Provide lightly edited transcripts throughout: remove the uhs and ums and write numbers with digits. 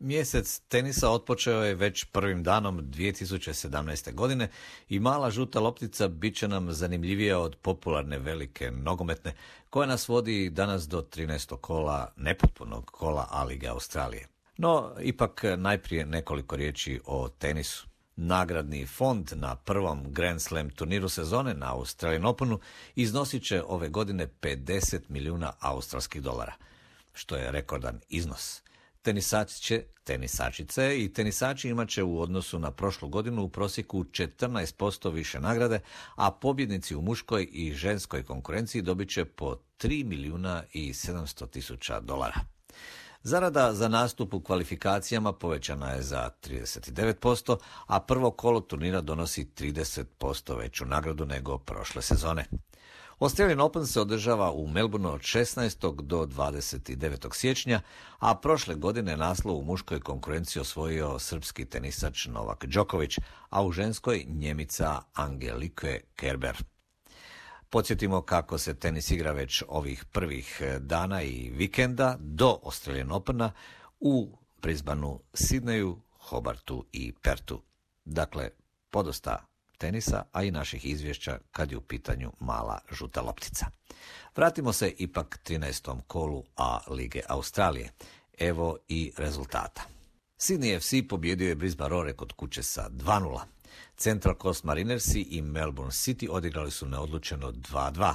Mjesec tenisa otpočeo je već prvim danom 2017. godine i mala žuta loptica bit će nam zanimljivija od popularne velike nogometne, koja nas vodi danas do 13. kola, nepotpunog kola A-lige Australije. No, ipak najprije nekoliko riječi o tenisu. Nagradni fond na prvom Grand Slam turniru sezone na Australian Openu iznosit će ove godine 50 milijuna australskih dolara, što je rekordan iznos. Tenisačice i tenisači imat će u odnosu na prošlu godinu u prosjeku 14% više nagrade, a pobjednici u muškoj i ženskoj konkurenciji dobit će po 3 milijuna i 700 tisuća dolara. Zarada za nastup u kvalifikacijama povećana je za 39%, a prvo kolo turnira donosi 30% veću nagradu nego prošle sezone. Australian Open se održava u Melbourneu od 16. do 29. siječnja, a prošle godine naslov u muškoj konkurenciji osvojio srpski tenisač Novak Đoković, a u ženskoj Njemica Angelike Kerber. Podsjetimo kako se tenis igra već ovih prvih dana i vikenda do Australian Opena u Brisbaneu, Sidneju, Hobartu i Pertu. Dakle, podosta tenisa, a i naših izvješća kad je u pitanju mala žuta loptica. Vratimo se ipak 13. kolu A lige Australije. Evo i rezultata. Sydney FC pobjedio je Brisbane Roar kod kuće sa 2:0. Central Coast Marinersi i Melbourne City odigrali su neodlučeno 2:2.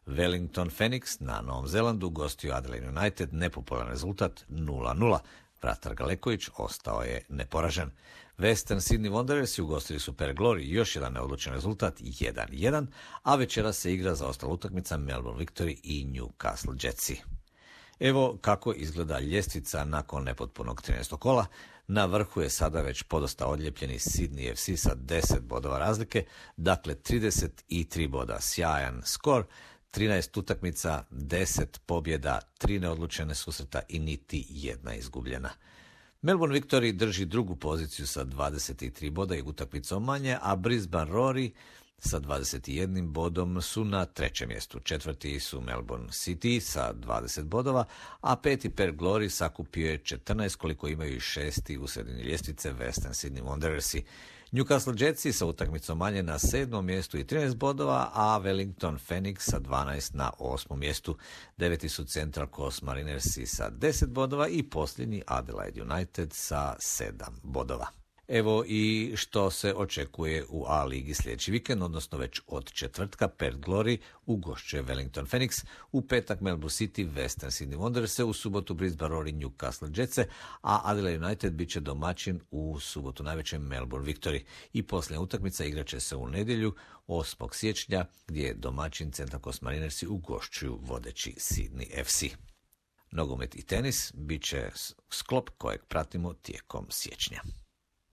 Wellington Phoenix na Novom Zelandu gostio Adelaide United, nepopularan rezultat 0:0. Vratar Galeković ostao je neporažen. Western Sydney Wanderers ugostili su Perth Glory, još jedan neodlučen rezultat 1:1, a večera se igra za ostala utakmica Melbourne Victory i Newcastle Jetsi. Evo kako izgleda ljestvica nakon nepotpunog 13. kola. Na vrhu je sada već podosta odljepljeni Sydney FC sa 10 bodova razlike, dakle 33 boda, sjajan skor, 13 utakmica, 10 pobjeda, 3 neodlučene susreta i niti jedna izgubljena. Melbourne Victory drži drugu poziciju sa 23 boda i utakmicom manje, a Brisbane Roari sa 21 bodom su na trećem mjestu. Četvrti su Melbourne City sa 20 bodova, a peti Perth Glory sakupio je 14 koliko imaju i šesti u sredini ljestvice Western Sydney Wanderersi. Newcastle Jetsi sa utakmicom manje na 7. mjestu i 13 bodova, a Wellington Phoenix sa 12 na 8. mjestu. Deveti su Central Coast Marinersi sa 10 bodova i posljednji Adelaide United sa 7 bodova. Evo i što se očekuje u A ligi sljedeći vikend, odnosno već od četvrtka Perth Glory ugošćuje Wellington Phoenix, u petak Melbourne City, Western Sydney Wanderers, u subotu Brisbane Roar i Newcastle Jetsi, a Adelaide United bit će domaćin u subotu najvećem Melbourne Victory. I posljednja utakmica igraće se u nedjelju 8. siječnja gdje je domaćin Central Coast Marinersi ugošćuju vodeći Sydney FC. Nogomet i tenis bit će sklop kojeg pratimo tijekom siječnja.